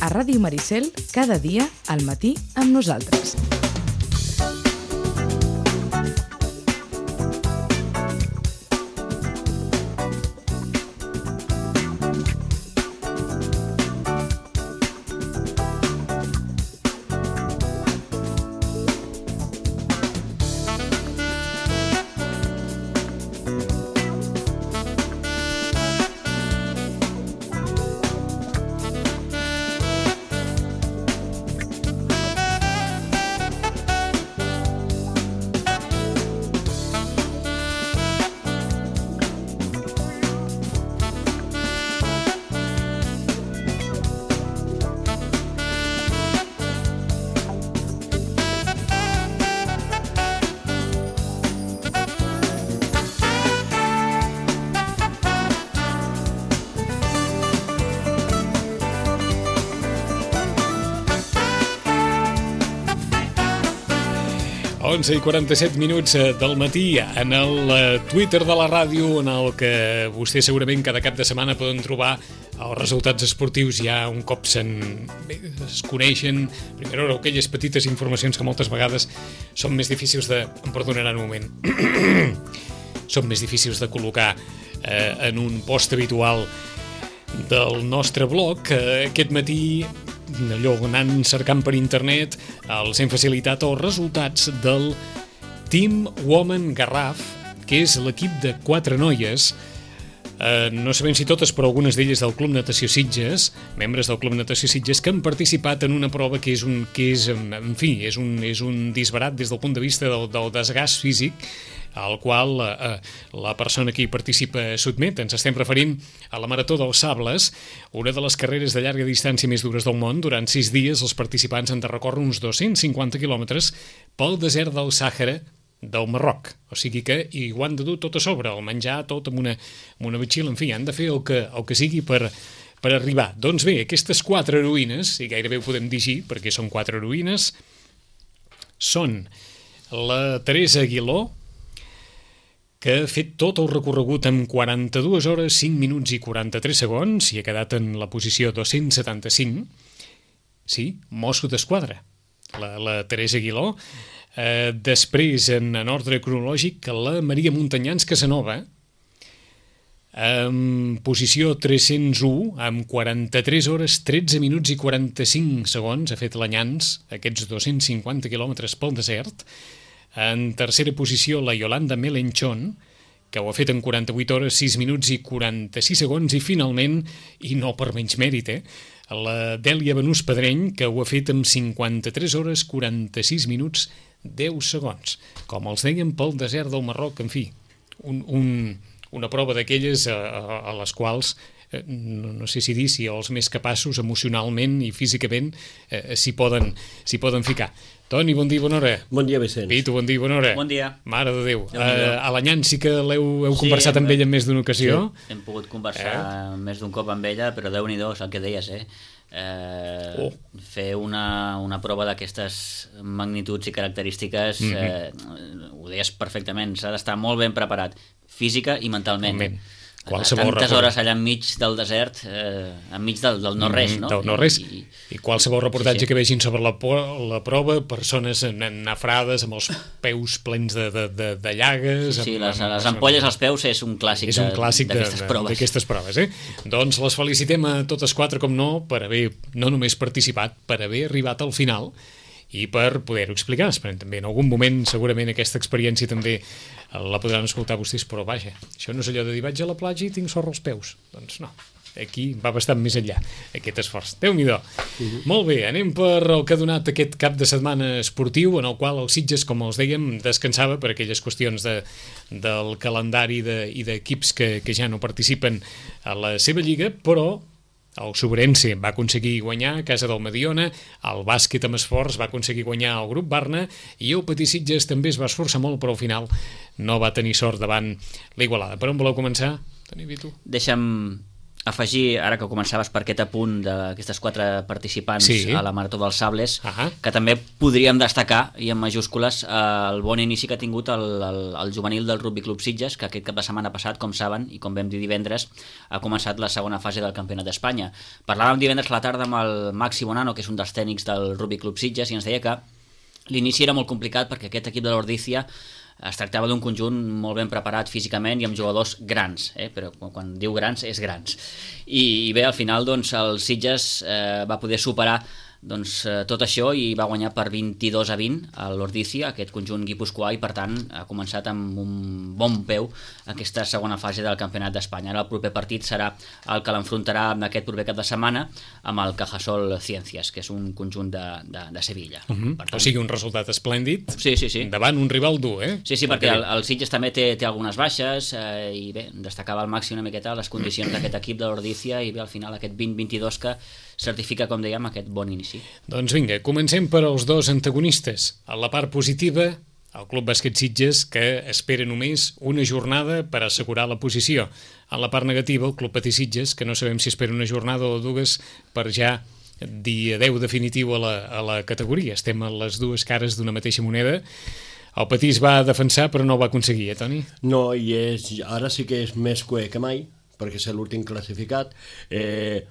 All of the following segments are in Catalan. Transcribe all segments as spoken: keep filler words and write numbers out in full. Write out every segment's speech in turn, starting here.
A Ràdio Maricel, cada dia, al matí, amb nosaltres. onze i quaranta-set minuts del matí en el Twitter de la ràdio, en el que vostè segurament cada cap de setmana poden trobar els resultats esportius ja un cop se'n es coneixen. Primera hora, aquelles petites informacions que moltes vegades són més difícils de... em perdonaran un moment. són més difícils de col·locar eh, en un post habitual del nostre blog. Eh, aquest matí, allò anant cercant per internet, els hem facilitat els resultats del Team Women Garraf, que és l'equip de quatre noies, eh, no sabem si totes, però algunes d'elles del Club Natació Sitges, membres del Club Natació Sitges, que han participat en una prova que és un, que és, en fi, és un, és un disbarat des del punt de vista del, del desgast físic, al qual eh, la persona que hi participa sotmet. Ens estem referint a la Marató dels Sables, una de les carreres de llarga distància més dures del món. Durant sis dies els participants han de recórrer uns dos-cents cinquanta quilòmetres pel desert del Sàhara del Marroc. O sigui que hi ho han de dur tot a sobre, el menjar tot amb una, amb una batxilla, en fi, han de fer el que, el que sigui per, per arribar. Doncs bé, aquestes quatre heroïnes, i gairebé ho podem dir així, perquè són quatre heroïnes, són la Teresa Aguiló, que ha fet tot el recorregut en quaranta-dues hores, cinc minuts i quaranta-tres segons i ha quedat en la posició dos-cents setanta-cinc. Sí, mosso d'esquadra, la, la Teresa Aguiló. Eh, després, en, en ordre cronològic, la Maria Montanyans Casanova, en posició tres-cents u, amb quaranta-tres hores, tretze minuts i quaranta-cinc segons, ha fet l'Anyans, aquests dos-cents cinquanta quilòmetres pel desert. En tercera posició, la Yolanda Melenchón, que ho ha fet en quaranta-vuit hores, sis minuts i quaranta-sis segons, i finalment, i no per menys mèrit, eh, la Dèlia Benús Pedreny, que ho ha fet en cinquanta-tres hores, quaranta-sis minuts, deu segons. Com els deien, pel desert del Marroc, en fi, un, un, una prova d'aquelles a, a, a les quals eh, no, no sé si dir si els més capaços emocionalment i físicament eh, s'hi poden, s'hi poden ficar. Toni, bon dia i bona hora. Bon dia, Vicenç. Pitu, bon dia i bona hora. Bon dia. Mare de Déu. Uh, a l'Anyant sí que l'heu heu sí, conversat amb ella en més d'una ocasió. Sí, hem pogut conversar eh? més d'un cop amb ella, però Déu-n'hi-do, és el que deies, eh? eh oh. Fer una, una prova d'aquestes magnituds i característiques, mm-hmm. eh, ho deies perfectament, s'ha d'estar molt ben preparat, física i mentalment. Moment. Qualsevol tantes hores allà enmig del desert, eh, enmig del, del no-res, no? Del no-res. I, I qualsevol reportatge sí, sí. que vegin sobre la, la prova, persones nafrades amb els peus plens de, de, de, de llagues... Sí, sí amb, les, amb, les ampolles als peus és un clàssic, és un clàssic d'aquestes proves. D'aquestes proves, eh? Doncs les felicitem a totes quatre, com no, per haver no només participat, per haver arribat al final i per poder-ho explicar. Esperem també en algun moment segurament aquesta experiència també la podran escoltar vostès, però vaja, això no és allò de dir vaig a la platja i tinc sorra als peus. Doncs no, aquí va bastant més enllà aquest esforç. Déu-n'hi-do. Uh-huh. Molt bé, anem per el que ha donat aquest cap de setmana esportiu, en el qual el Sitges, com els dèiem, descansava per aquelles qüestions de, del calendari de, i d'equips que, que ja no participen a la seva lliga, però el Sobrense va aconseguir guanyar a casa del Mediona, el bàsquet amb esforç va aconseguir guanyar el grup Barna i el Petit Sitges també es va esforçar molt, però al final no va tenir sort davant l'Igualada. Per on voleu començar? Toni, Vitu? Deixa'm afegir, ara que començaves per aquest apunt d'aquestes quatre participants sí. a la Marató dels Sables, uh -huh. que també podríem destacar, i en majúscules, eh, el bon inici que ha tingut el, el, el juvenil del Rugby Club Sitges, que aquest cap de setmana passat, com saben, i com vam dir divendres, ha començat la segona fase del Campionat d'Espanya. Parlàvem divendres a la tarda amb el Maxi Bonano, que és un dels tècnics del Rugby Club Sitges, i ens deia que l'inici era molt complicat perquè aquest equip de l'Ordícia es tractava d'un conjunt molt ben preparat físicament i amb jugadors grans, eh? Però quan diu grans és grans. I, i bé, al final doncs, el Sitges eh, va poder superar doncs, eh, tot això i va guanyar per vint-i-dos a vint a l'Ordícia, aquest conjunt guipuscoà, i per tant ha començat amb un bon peu aquesta segona fase del Campionat d'Espanya. Ara el proper partit serà el que l'enfrontarà en aquest proper cap de setmana amb el Cajasol Ciencias, que és un conjunt de, de, de Sevilla. Uh -huh. Per tant, o sigui, un resultat esplèndid sí, sí, sí. davant un rival dur, eh? Sí, sí, perquè el, el Sitges també té, té algunes baixes eh, i bé, destacava al màxim una miqueta les condicions d'aquest equip de l'Ordícia i bé, al final aquest vint vint-i-dos que certifica, com dèiem, aquest bon inici. Doncs vinga, comencem per als dos antagonistes. A la part positiva, el Club Bàsquet Sitges, que espera només una jornada per assegurar la posició. A la part negativa, el Club Patí Sitges, que no sabem si espera una jornada o dues per ja dir adeu definitiu a la, a la categoria. Estem a les dues cares d'una mateixa moneda. El Patí es va defensar, però no ho va aconseguir, eh, Toni? No, i és, ara sí que és més cué que mai, perquè és l'últim classificat. Eh...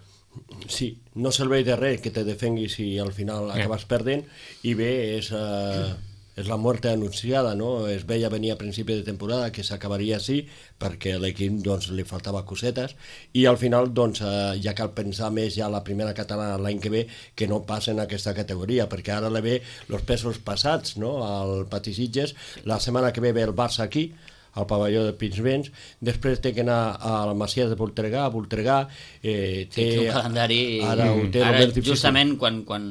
Sí, no serveix de res que te defenguis si al final acabes yeah. perdent, i bé, és, uh, és la muerte anunciada, no? Es veia venir a principi de temporada que s'acabaria així, perquè a l'equip doncs, li faltava cosetes, i al final doncs, uh, ja cal pensar més ja a la primera catalana l'any que ve que no passen aquesta categoria, perquè ara le ve els pesos passats, no? Al Patí Sitges, la setmana que ve ve el Barça aquí, al pavelló de Pinsbens, després té que anar a la Masia de Voltregà, a Voltregà, eh, té, té un calendari... Ara, ho té ara justament quan, quan,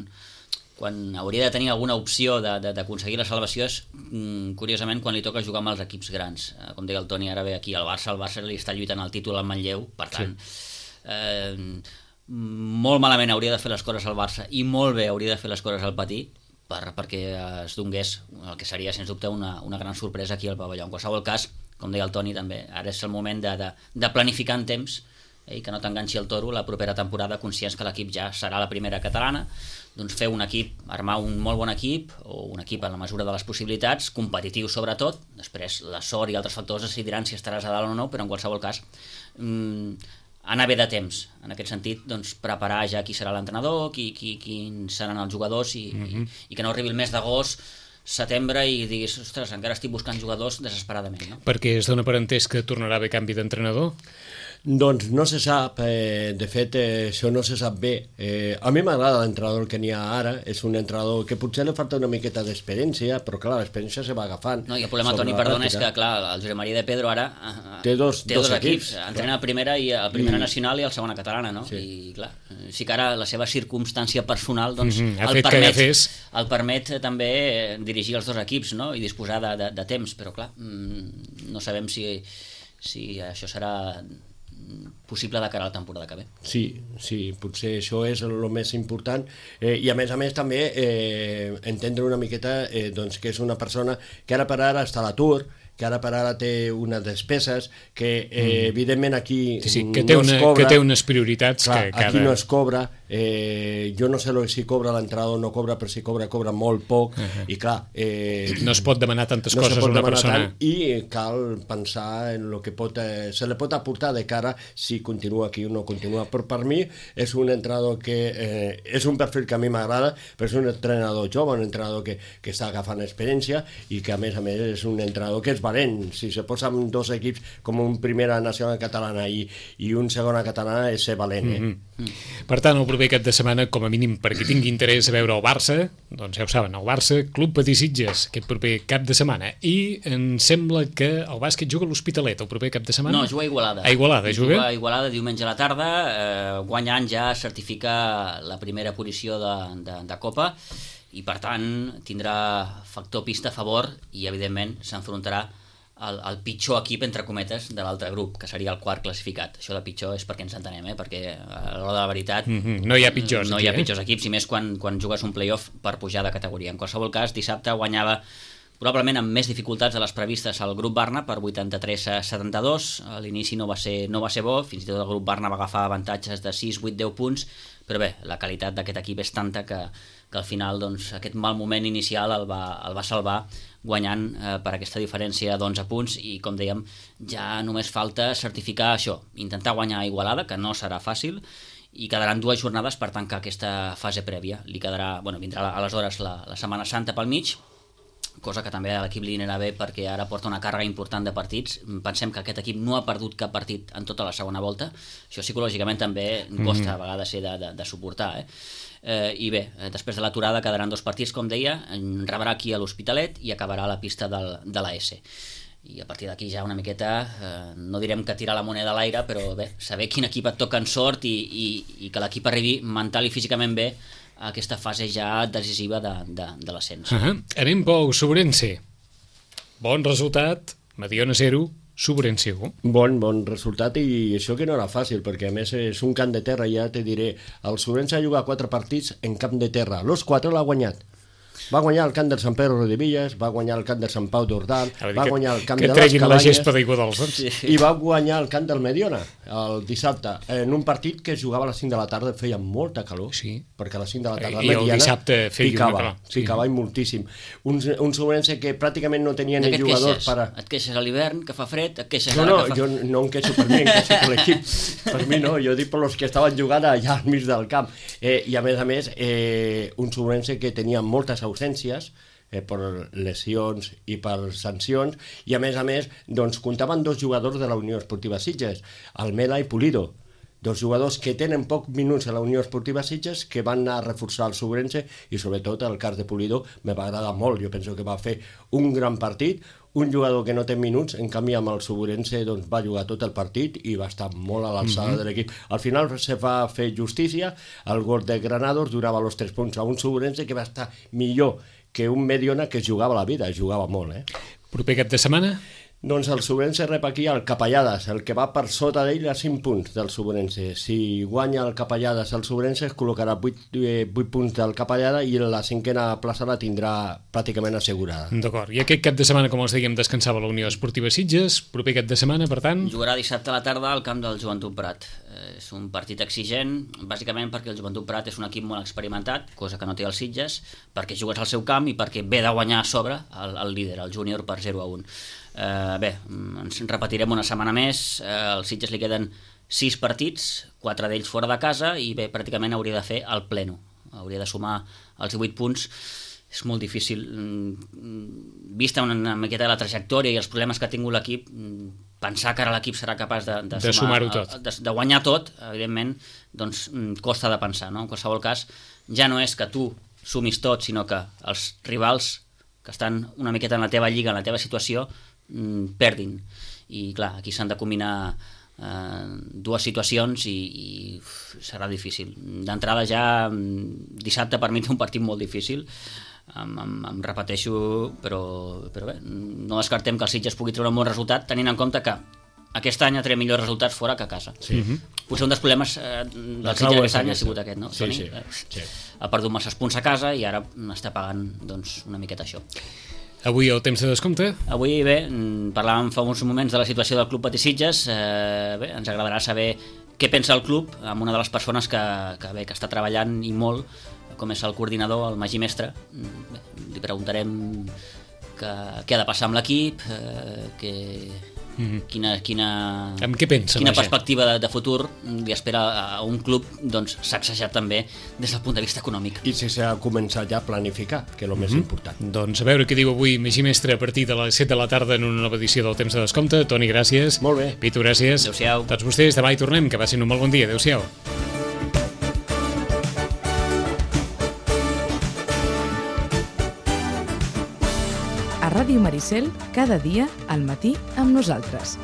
quan hauria de tenir alguna opció d'aconseguir la salvació és, mm, curiosament, quan li toca jugar amb els equips grans. Eh, com deia el Toni, ara ve aquí al Barça, el Barça li està lluitant el títol al Manlleu, per tant, sí. eh, molt malament hauria de fer les coses al Barça i molt bé hauria de fer les coses al Patí, Per, perquè es donés el que seria sens dubte una, una gran sorpresa aquí al pavelló. En qualsevol cas, com deia el Toni també, ara és el moment de, de, de planificar en temps eh, i que no t'enganxi el toro la propera temporada, conscients que l'equip ja serà la primera catalana, doncs fer un equip, armar un molt bon equip o un equip a la mesura de les possibilitats, competitiu sobretot, després la sort i altres factors decidiran si estaràs a dalt o no, però en qualsevol cas mmm, anar bé de temps, en aquest sentit, doncs, preparar ja qui serà l'entrenador, qui, qui, qui seran els jugadors i, mm-hmm. i, i que no arribi el mes d'agost, setembre i diguis, ostres, encara estic buscant jugadors desesperadament, no? Perquè es dona per entès que tornarà a haver canvi d'entrenador? Doncs no se sap, eh, de fet eh, això no se sap bé. Eh, a mi m'agrada l'entrenador que n'hi ha ara, és un entrenador que potser li falta una miqueta d'experiència, però clar, l'experiència se va agafant. No, i el problema, Toni, perdona, és que clar, el Josep Maria de Pedro ara uh, té dos, té dos, dos equips, equips, entrena a primera i a primera I... nacional i a la segona catalana, no? Sí. I clar, sí que ara la seva circumstància personal doncs, mm -hmm. el, permet, el permet també dirigir els dos equips, no? I disposar de, de, de temps, però clar, no sabem si, si això serà possible de cara a la temporada que ve. Sí, sí, potser això és el més important, eh, i a més a més també eh, entendre una miqueta eh, doncs que és una persona que ara per ara està a l'atur, que ara per ara té unes despeses, que eh, evidentment aquí sí, sí, que té no una, es cobra. Que té unes prioritats. Clar, que cada... aquí no es cobra, eh, jo no sé si cobra l'entrenador o no cobra, però si cobra, cobra molt poc, uh -huh. i clar... Eh, no es pot demanar tantes no coses a una persona. Tant, I cal pensar en el que pot, eh, se li pot aportar de cara si continua aquí o no continua. Però per mi és un entrenador que eh, és un perfil que a mi m'agrada, però és un entrenador jove, un entrenador que, que està agafant experiència i que a més a més és un entrenador que és valent. Si se posa amb dos equips com un primera nacional catalana i, i un segona catalana és ser valent, eh? Mm -hmm. Per tant, el proper cap de setmana, com a mínim perquè tingui interès a veure el Barça, doncs ja ho saben, el Barça, Club Patí Sitges, aquest proper cap de setmana. I em sembla que el bàsquet juga a l'Hospitalet el proper cap de setmana? No, juga a Igualada. A Igualada, juga? Juga a Igualada diumenge a la tarda, eh, guanyant ja certifica la primera posició de, de, de Copa, i per tant tindrà factor pista a favor i evidentment s'enfrontarà El, el pitjor equip, entre cometes, de l'altre grup, que seria el quart classificat. Això de pitjor és perquè ens entenem, eh? Perquè a l'hora de la veritat mm -hmm. no hi ha pitjors, no aquí, hi ha eh? pitjors equips, i més quan, quan jugues un playoff per pujar de categoria. En qualsevol cas, dissabte guanyava probablement amb més dificultats de les previstes al grup Barna per vuitanta-tres a setanta-dos. A l'inici no va ser, no va ser bo, fins i tot el grup Barna va agafar avantatges de sis, vuit, deu punts, però bé, la qualitat d'aquest equip és tanta que, que al final doncs, aquest mal moment inicial el va, el va salvar guanyant eh, per aquesta diferència d'onze punts i, com dèiem, ja només falta certificar això, intentar guanyar a Igualada, que no serà fàcil, i quedaran dues jornades per tancar aquesta fase prèvia. Li quedarà, bueno, vindrà aleshores la, la Setmana Santa pel mig, cosa que també a l'equip li anirà bé perquè ara porta una càrrega important de partits. Pensem que aquest equip no ha perdut cap partit en tota la segona volta. Això psicològicament també costa a vegades ser de, de, de suportar. Eh? Eh, I bé, després de l'aturada quedaran dos partits, com deia, rebrà aquí a l'Hospitalet i acabarà a la pista del, de l'A S. I a partir d'aquí ja una miqueta, eh, no direm que tirar la moneda a l'aire, però bé, saber quin equip et toca en sort i, i, i que l'equip arribi mental i físicament bé a aquesta fase ja decisiva de, de, de l'ascens. Uh -huh. Anem pel Sobrense. Bon resultat, Mediona zero, Sobrense un. Bon, bon resultat, i això que no era fàcil, perquè a més és un camp de terra, ja te diré. El Sobrense ha jugat quatre partits en camp de terra, los quatre l'ha guanyat. Va guanyar el camp del Sant Pedro de Villas, va guanyar el camp del Sant Pau d'Ordal, va que, guanyar el camp de les Cabanyes, la gespa de d'Iguadols, doncs. Sí. I va guanyar el camp del Mediona el dissabte, en un partit que es jugava a les cinc de la tarda, feia molta calor, sí. perquè a les cinc de la tarda I el dissabte feia picava, una calor. Sí. Picava i moltíssim. Un, un Sobrense que pràcticament no tenia ni jugadors per a... Et queixes a l'hivern, que fa fred, et queixes no, ara no, que fa... jo no em queixo per mi, em queixo per l'equip. Per mi no, jo dic per los que estaven jugant allà al mig del camp. Eh, I a més a més, eh, un Sobrense que tenia moltes ausències, eh, per lesions i per sancions, i a més a més doncs, comptaven dos jugadors de la Unió Esportiva Sitges, Almela i Pulido, dos jugadors que tenen pocs minuts a la Unió Esportiva Sitges, que van anar a reforçar el Sobrense, i sobretot el cas de Pulido me va agradar molt. Jo penso que va fer un gran partit, un jugador que no té minuts, en canvi amb el Sobrense doncs, va jugar tot el partit i va estar molt a l'alçada mm-hmm. de l'equip. Al final se va fer justícia, el gol de Granados durava els tres punts a un Sobrense que va estar millor que un Mediona que jugava la vida, jugava molt. Eh? Proper cap de setmana? Doncs el Sobrense rep aquí el Capellades, el que va per sota d'ell a cinc punts del Sobrense. Si guanya el Capellades el Sobrense es col·locarà vuit, eh, vuit punts del Capellada i la cinquena plaça la tindrà pràcticament assegurada. D'acord. I aquest cap de setmana, com els dèiem, descansava la Unió Esportiva Sitges. Proper cap de setmana, per tant... Jugarà dissabte a la tarda al camp del Joventut Prat. Eh, és un partit exigent, bàsicament perquè el Joventut Prat és un equip molt experimentat, cosa que no té el Sitges, perquè jugues al seu camp i perquè ve de guanyar a sobre el, el líder, el júnior, per zero a un. Uh, bé, ens repetirem una setmana més. Uh, als Sitges li queden sis partits, quatre d'ells fora de casa, i bé, pràcticament hauria de fer el pleno, hauria de sumar els divuit punts. És molt difícil, vista una, una miqueta de la trajectòria i els problemes que ha tingut l'equip, pensar que ara l'equip serà capaç de, de, de sumar-ho tot, de, de guanyar tot, evidentment, doncs costa de pensar, no? En qualsevol cas, ja no és que tu sumis tot, sinó que els rivals que estan una miqueta en la teva lliga, en la teva situació, perdin. I clar, aquí s'han de combinar eh, dues situacions i, i uf, serà difícil. D'entrada ja dissabte per mi té un partit molt difícil, em, em, em repeteixo, però, però bé, no descartem que el Sitges pugui treure un bon resultat, tenint en compte que aquest any ha tret millors resultats fora que a casa. Sí. Potser un dels problemes eh, del Sitges aquest any ha sigut aquest, no? Sí, Toni? sí, Eh, sí. Ha perdut masses punts a casa i ara està pagant doncs, una miqueta això. Avui el temps de descompte? Avui, bé, parlàvem fa uns moments de la situació del Club Patí Sitges. Eh, bé, ens agradarà saber què pensa el club amb una de les persones que, que, bé, que està treballant i molt, com és el coordinador, el Magí Mestre. Bé, li preguntarem que, què ha de passar amb l'equip, eh, que... Mm-hmm. Quina, quina, amb què pensa, quina perspectiva de, de futur li espera a un club doncs, sacsejat també des del punt de vista econòmic. I si s'ha començat ja a planificar, que és el mm-hmm. més important. Doncs a veure què diu avui Magí Mestre a partir de les set de la tarda en una nova edició del Temps de Descompte. Toni, gràcies. Molt bé. Pitu, gràcies. Adéu-siau. Tots vostès, demà hi tornem, que passin un molt bon dia. Adéu-siau. A Ràdio Maricel, cada dia al matí amb nosaltres.